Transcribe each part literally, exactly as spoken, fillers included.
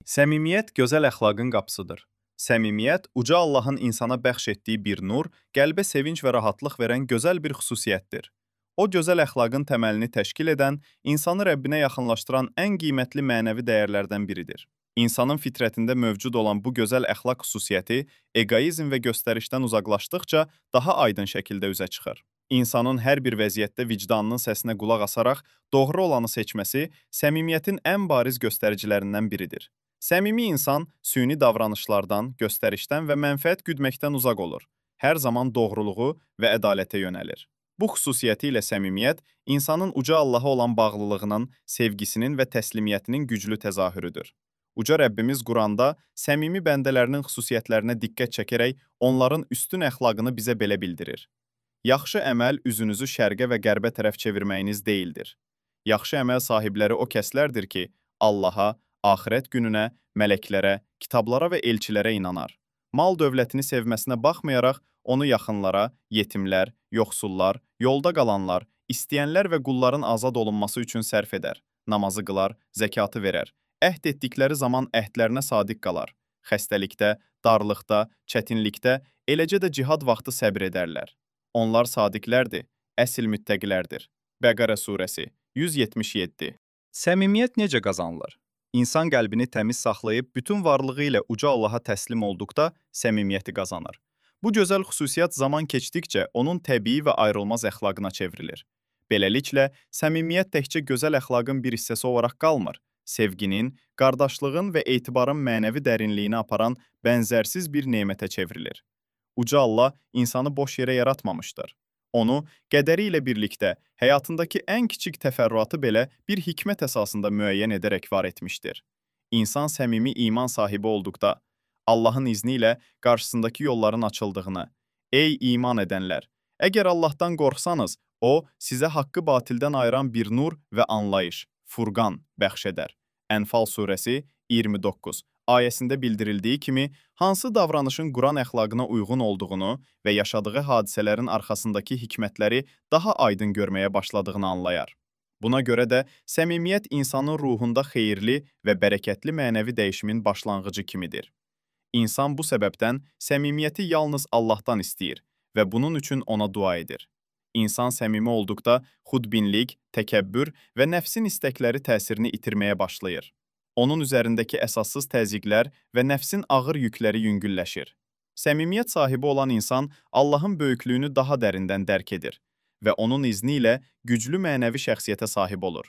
Səmimiyyət gözəl əxlaqın qapısıdır. Səmimiyyət uca Allahın insana bəxş etdiyi bir nur, qəlbə sevinc və rahatlıq verən gözəl bir xüsusiyyətdir. O gözəl əxlaqın təməlini təşkil edən, insanı Rəbbinə yaxınlaşdıran ən qiymətli mənəvi dəyərlərdən biridir. İnsanın fitrətində mövcud olan bu gözəl əxlaq xüsusiyyəti eqoizm və göstərişdən uzaqlaşdıqca daha aydın şəkildə üzə çıxır. İnsanın hər bir vəziyyətdə vicdanının səsinə qulaq asaraq doğru olanı seçməsi səmimiyyətin ən bariz göstəricilərindən biridir. Səmimi insan süni davranışlardan, göstərişdən və mənfəət güdməkdən uzaq olur. Hər zaman doğruluğu və ədalətə yönəlir. Bu xüsusiyyəti ilə səmimiyyət insanın uca Allaha olan bağlılığının, sevgisinin və təslimiyyətinin güclü təzahürüdür. Uca Rəbbimiz Quranda səmimi bəndələrinin xüsusiyyətlərinə diqqət çəkərək onların üstün əxlaqını bizə belə bildirir. Yaxşı əməl üzünüzü şərqə və qərbə tərəf çevirməyiniz deyildir. Yaxşı əməl sahibləri o kəslərdir ki, Allaha, axirət gününə, mələklərə, kitablara və elçilərə inanar. Mal dövlətini sevməsinə baxmayaraq, onu yaxınlara, yetimlər, yoxsullar, yolda qalanlar, istəyənlər və qulların azad olunması üçün sərf edər. Namazı qılar, zəkatı verər. Əhd etdikləri zaman əhdlərinə sadiq qalar. Xəstəlikdə, darlıqda, çətinlikdə, eləcə də cihad vaxtı səbr edərlər. Onlar sadiqlərdir, əsl müttəqilərdir. Bəqərə surəsi yüz yetmiş yeddi. Səmimiyyət necə qazanılır? İnsan qəlbini təmiz saxlayıb bütün varlığı ilə uca Allaha təslim olduqda səmimiyyəti qazanır. Bu gözəl xüsusiyyət zaman keçdikcə onun təbii və ayrılmaz əxlaqına çevrilir. Beləliklə, səmimiyyət təkcə gözəl əxlaqın bir hissəsi olaraq qalmır. Sevginin, qardaşlığın və etibarın mənəvi dərinliyini aparan bənzərsiz bir nemətə çevrilir. Uca Allah insanı boş yerə yaratmamışdır. Onu qədəri ilə birlikdə həyatındakı ən kiçik təfərrüatı belə bir hikmət əsasında müəyyən edərək var etmişdir. İnsan səmimi iman sahibi olduqda, Allahın izni ilə qarşısındakı yolların açıldığını, ey iman edənlər, əgər Allahdan qorxsanız, O, sizə haqqı batildən ayıran bir nur və anlayış, Furqan bəxş edər. Ənfal surəsi iyirmi doqquz ayəsində bildirildiyi kimi, hansı davranışın Quran əxlaqına uyğun olduğunu və yaşadığı hadisələrin arxasındakı hikmətləri daha aydın görməyə başladığını anlayar. Buna görə də səmimiyyət insanın ruhunda xeyirli və bərəkətli mənəvi dəyişimin başlanğıcı kimidir. İnsan bu səbəbdən səmimiyyəti yalnız Allahdan istəyir və bunun üçün ona dua edir. İnsan səmimi olduqda xudbinlik, təkəbbür və nəfsin istəkləri təsirini itirməyə başlayır. Onun üzərindəki əsassız təzyiqlər və nəfsin ağır yükləri yüngülləşir. Səmimiyyət sahibi olan insan Allahın böyüklüyünü daha dərindən dərk edir və onun izni ilə güclü mənəvi şəxsiyyətə sahib olur.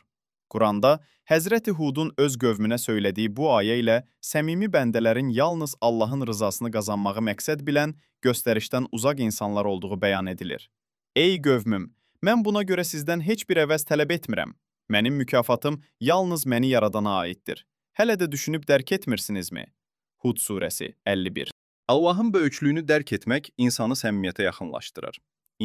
Quranda Həzrəti Hudun öz qövmünə söylədiyi bu ayə ilə səmimi bəndələrin yalnız Allahın rızasını qazanmağı məqsəd bilən, göstərişdən uzaq insanlar olduğu bəyan edilir. Ey qövmüm, mən buna görə sizdən heç bir əvəz tələb etmirəm. Mənim mükafatım yalnız məni yaradana aiddir. Hələ də düşünüb dərk etmirsinizmi? Hud surəsi əlli bir. Allahın böyüklüyünü dərk etmək insanı səmimiyyətə yaxınlaşdırır.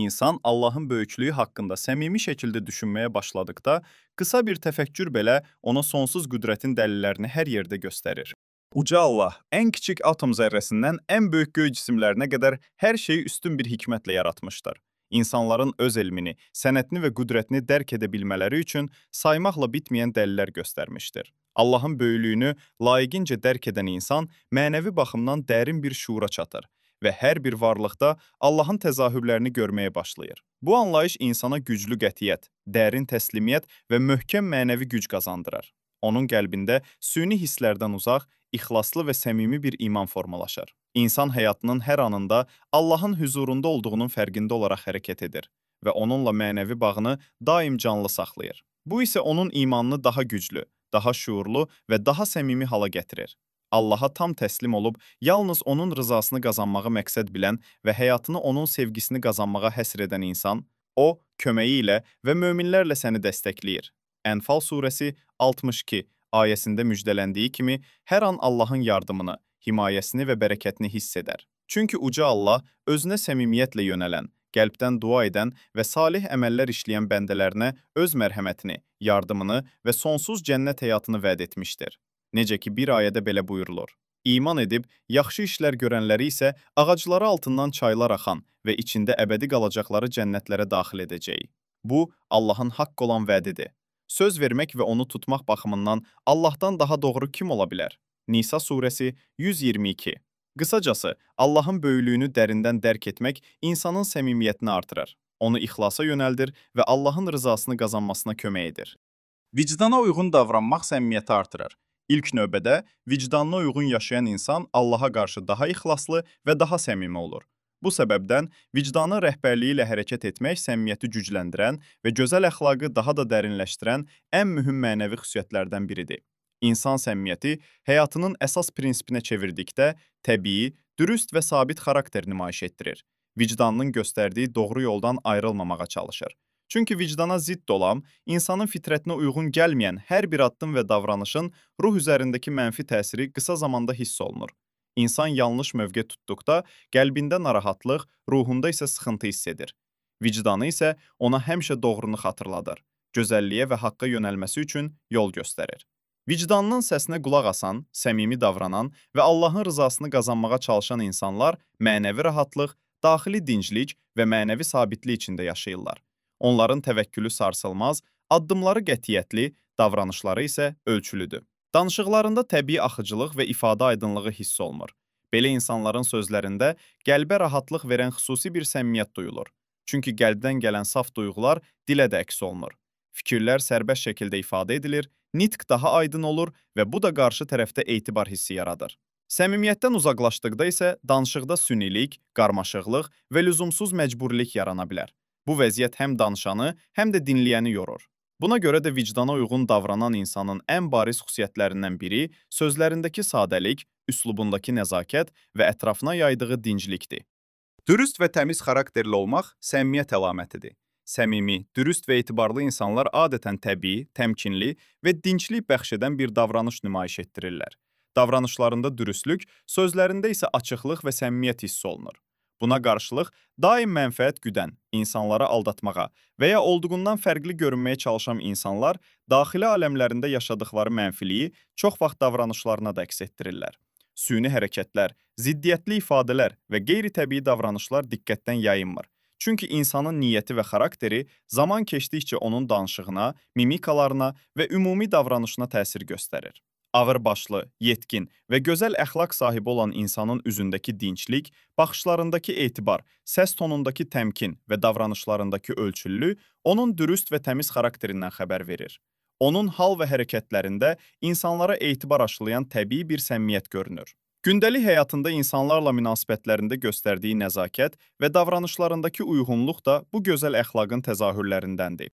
İnsan Allahın böyüklüyü haqqında səmimi şəkildə düşünməyə başladıqda, qısa bir təfəkkür belə ona sonsuz qüdrətin dəlillərini hər yerdə göstərir. Uca Allah ən kiçik atom zərrəsindən ən böyük göy cisimlərinə qədər hər şeyi üstün bir hikmətlə yaratmışdır. İnsanların öz elmini, sənətini və qüdrətini dərk edə bilmələri üçün saymaqla bitməyən dəlillər göstərmişdir. Allahın böyüklüyünü layiqincə dərk edən insan mənəvi baxımdan dərin bir şuura çatır və hər bir varlıqda Allahın təzahürlərini görməyə başlayır. Bu anlayış insana güclü qətiyyət, dərin təslimiyyət və möhkəm mənəvi güc qazandırır. Onun qəlbində süni hisslərdən uzaq, ixlaslı və səmimi bir iman formalaşır. İnsan həyatının hər anında Allahın hüzurunda olduğunun fərqində olaraq hərəkət edir və onunla mənəvi bağını daim canlı saxlayır. Bu isə onun imanını daha güclü, daha şuurlu və daha səmimi hala gətirir. Allaha tam təslim olub, yalnız onun rızasını qazanmağı məqsəd bilən və həyatını onun sevgisini qazanmağa həsr edən insan, o, köməyi ilə və möminlərlə səni dəstəkləyir. Ənfal surəsi altmış iki ayəsində müjdələndiyi kimi, hər an Allahın yardımını, himayəsini və bərəkətini hiss edər. Çünki uca Allah özünə səmimiyyətlə yönələn, qəlbdən dua edən və salih əməllər işləyən bəndələrinə öz mərhəmətini, yardımını və sonsuz cənnət həyatını vəd etmişdir. Necə ki, bir ayədə belə buyurulur. İman edib, yaxşı işlər görənləri isə ağacları altından çaylar axan və içində əbədi qalacaqları cənnətlərə daxil edəcək. Bu, Allahın haqq olan vədidir. Söz vermək və onu tutmaq baxımından Allahdan daha doğru kim ola bilər? Nisa surəsi yüz iyirmi iki. Qısacası, Allahın böyüklüyünü dərindən dərk etmək insanın səmimiyyətini artırır, onu ixlasa yönəldir və Allahın rızasını qazanmasına kömək edir. Vicdana uyğun davranmaq səmimiyyəti artırır. İlk növbədə vicdanına uyğun yaşayan insan Allaha qarşı daha ixlaslı və daha səmimi olur. Bu səbəbdən vicdanın rəhbərliyi ilə hərəkət etmək səmimiyyəti gücləndirən və gözəl əxlaqı daha da dərinləşdirən ən mühüm mənəvi xüsusiyyətlərdən biridir. İnsan səmimiyyəti həyatının əsas prinsipinə çevirdikdə təbii, dürüst və sabit xarakter nümayiş etdirir. Vicdanının göstərdiyi doğru yoldan ayrılmamağa çalışır. Çünki vicdana zidd olan, insanın fitrətinə uyğun gəlməyən hər bir addım və davranışın ruh üzərindəki mənfi təsiri qısa zamanda hiss olunur. İnsan yanlış mövqe tutduqda qəlbində narahatlıq, ruhunda isə sıxıntı hiss edir. Vicdanı isə ona həmişə doğrunu xatırladır, gözəlliyə və haqqa yönəlməsi üçün yol göstərir. Vicdanının səsinə qulaq asan, səmimi davranan və Allahın rızasını qazanmağa çalışan insanlar mənəvi rahatlıq, daxili dinclik və mənəvi sabitlik içində yaşayırlar. Onların təvəkkülü sarsılmaz, addımları qətiyyətli, davranışları isə ölçülüdür. Danışıqlarında təbii axıcılıq və ifadə aydınlığı hiss olunur. Belə insanların sözlərində qəlbə rahatlıq verən xüsusi bir səmimiyyət duyulur. Çünki qəlbdən gələn saf duyğular dilə də əks olunur. Fikirlər sərbəst şəkildə ifadə edilir, nitq daha aydın olur və bu da qarşı tərəfdə etibar hissi yaradır. Səmimiyyətdən uzaqlaşdıqda isə danışıqda sünilik, qarmaşıqlıq və lüzumsuz məcburilik yarana bilər. Bu vəziyyət həm danışanı, həm də dinləyəni yorur. Buna görə də vicdana uyğun davranan insanın ən bariz xüsusiyyətlərindən biri sözlərindəki sadəlik, üslubundakı nəzakət və ətrafına yaydığı dinclikdir. Dürüst və təmiz xarakterli olmaq səmimiyyət əlamətidir. Səmimi, dürüst və etibarlı insanlar adətən təbii, təmkinli və dinclik bəxş edən bir davranış nümayiş etdirirlər. Davranışlarında dürüstlük, sözlərində isə açıqlıq və səmimiyyət hiss olunur. Buna qarşılıq, daim mənfəət güdən, insanları aldatmağa və ya olduğundan fərqli görünməyə çalışan insanlar daxili aləmlərində yaşadıkları mənfiliyi çox vaxt davranışlarına da əks etdirirlər. Süni hərəkətlər, ziddiyyətli ifadələr və qeyri-təbii davranışlar diqqətdən yayınmır. Çünki insanın niyyəti və xarakteri zaman keçdikcə onun danışığına, mimikalarına və ümumi davranışına təsir göstərir. Ağırbaşlı, yetkin və gözəl əxlaq sahibi olan insanın üzündəki dinclik, baxışlarındakı etibar, səs tonundakı təmkin və davranışlarındakı ölçülülük onun dürüst və təmiz xarakterindən xəbər verir. Onun hal və hərəkətlərində insanlara etibar aşılayan təbii bir səmimiyyət görünür. Gündəlik həyatında insanlarla münasibətlərində göstərdiyi nəzakət və davranışlarındakı uyğunluq da bu gözəl əxlaqın təzahürlərindəndir.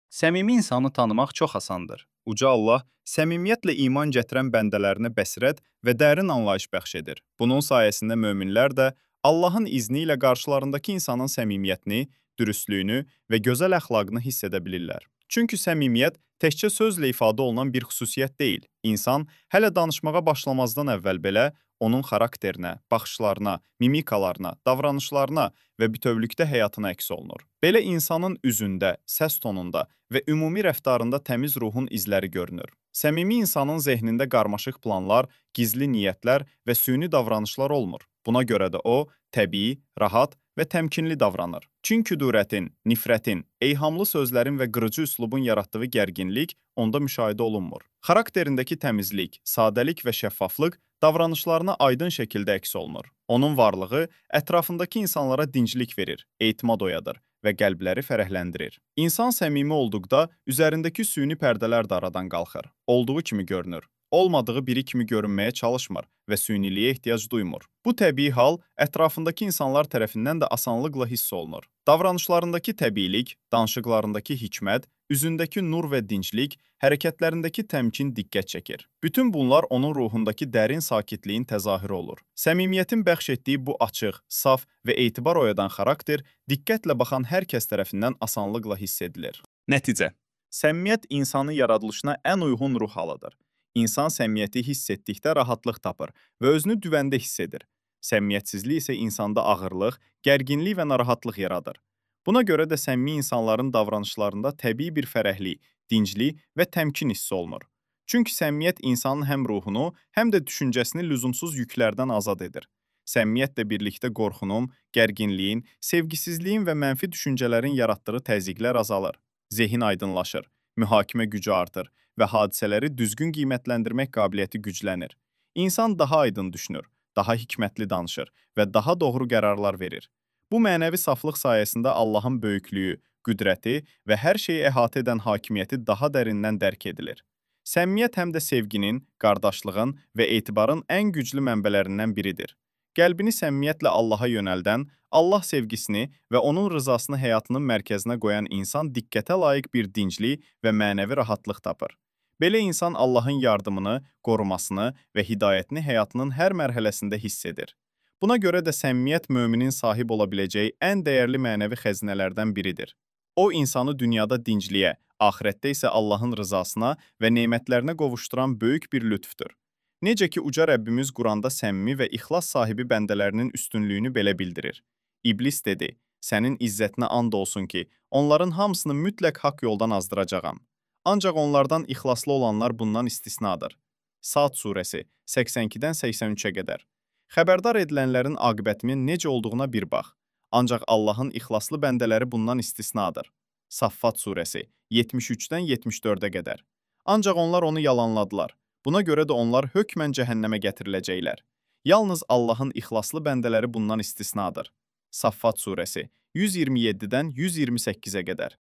Səmimi insanı tanımaq çox asandır. Uca Allah səmimiyyətlə iman gətirən bəndələrinə bəsirət və dərin anlayış bəxş edir. Bunun sayəsində möminlər də Allahın izni ilə qarşılarındakı insanın səmimiyyətini, dürüstlüyünü və gözəl əxlaqını hiss edə bilirlər. Çünki səmimiyyət təkcə sözlə ifadə olunan bir xüsusiyyət deyil. İnsan hələ danışmağa başlamazdan əvvəl belə onun xarakterinə, baxışlarına, mimikalarına, davranışlarına və bütövlükdə həyatına əks olunur. Belə insanın üzündə, səs tonunda və ümumi rəftarında təmiz ruhun izləri görünür. Səmimi insanın zehnində qarmaşıq planlar, gizli niyyətlər və süni davranışlar olmur. Buna görə də o, təbii, rahat və təmkinli davranır. Kin küdurətin, nifrətin, eyhamlı sözlərin və qırıcı üslubun yaratdığı gərginlik onda müşahidə olunmur. Xarakterindəki təmizlik, sadəlik və şəffaflıq davranışlarına aydın şəkildə əks olunur. Onun varlığı ətrafındakı insanlara dinclik verir, etimad oyadır və qəlbləri fərəhləndirir. İnsan səmimi olduqda üzərindəki süni pərdələr də aradan qalxır. Olduğu kimi görünür. Olmadığı biri kimi görünməyə çalışmır və süyniliyə ehtiyac duymur. Bu təbii hal ətrafındakı insanlar tərəfindən də asanlıqla hiss olunur. Davranışlarındakı təbiilik, danışıqlarındakı hikmət, üzündəki nur və dinclik, hərəkətlərindəki təmkin diqqət çəkir. Bütün bunlar onun ruhundakı dərin sakitliyin təzahürü olur. Səmimiyyətin bəxş etdiyi bu açıq, saf və etibar oyadan xarakter diqqətlə baxan hər kəs tərəfindən asanlıqla hiss edilir. Nəticə: səmimiyyət insanın yaradılışına ən uyğun ruh halıdır. İnsan səmimiyyəti hiss etdikdə rahatlıq tapır və özünü güvəndə hiss edir. Səmimiyyətsizlik isə insanda ağırlıq, gərginlik və narahatlıq yaradır. Buna görə də səmimi insanların davranışlarında təbii bir fərəhlik, dinclik və təmkin hissi olunur. Çünki səmimiyyət insanın həm ruhunu, həm də düşüncəsini lüzumsuz yüklərdən azad edir. Səmimiyyətlə birlikdə qorxunun, gərginliyin, sevgisizliyin və mənfi düşüncələrin yaratdığı təzyiqlər azalır. Zehin aydınlaşır, mühakimə gücü artır və hadisələri düzgün qiymətləndirmək qabiliyyəti güclənir. İnsan daha aydın düşünür, daha hikmətli danışır və daha doğru qərarlar verir. Bu mənəvi saflıq sayəsində Allahın böyüklüyü, qüdrəti və hər şeyi əhatə edən hakimiyyəti daha dərindən dərk edilir. Səmimiyyət həm də sevginin, qardaşlığın və etibarın ən güclü mənbələrindən biridir. Qəlbini səmimiyyətlə Allaha yönəldən, Allah sevgisini və onun rızasını həyatının mərkəzinə qoyan insan diqqətə layiq bir dinclik və mənəvi rahatlıq tapır. Belə insan Allahın yardımını, qorumasını və hidayətini həyatının hər mərhələsində hiss edir. Buna görə də səmimiyyət möminin sahib ola biləcəyi ən dəyərli mənəvi xəzinələrdən biridir. O, insanı dünyada dincliyə, axirətdə isə Allahın rızasına və nemətlərinə qovuşduran böyük bir lütfdür. Necə ki, uca Rəbbimiz Quranda səmimi və ixlas sahibi bəndələrinin üstünlüyünü belə bildirir. İblis dedi, sənin izzətinə and olsun ki, onların hamısını mütləq haqq yoldan azdıracağam. Ancaq onlardan ixlaslı olanlar bundan istisnadır. Sad surəsi səksən ikidən səksən üçə qədər. Xəbərdar edilənlərin aqibətinin necə olduğuna bir bax. Ancaq Allahın ixlaslı bəndələri bundan istisnadır. Saffat surəsi yetmiş üçdən yetmiş dördə qədər. Ancaq onlar onu yalanladılar. Buna görə də onlar hökmən cəhənnəmə gətiriləcəklər. Yalnız Allahın ixlaslı bəndələri bundan istisnadır. Saffat surəsi yüz iyirmi yeddidən yüz iyirmi səkkizə qədər.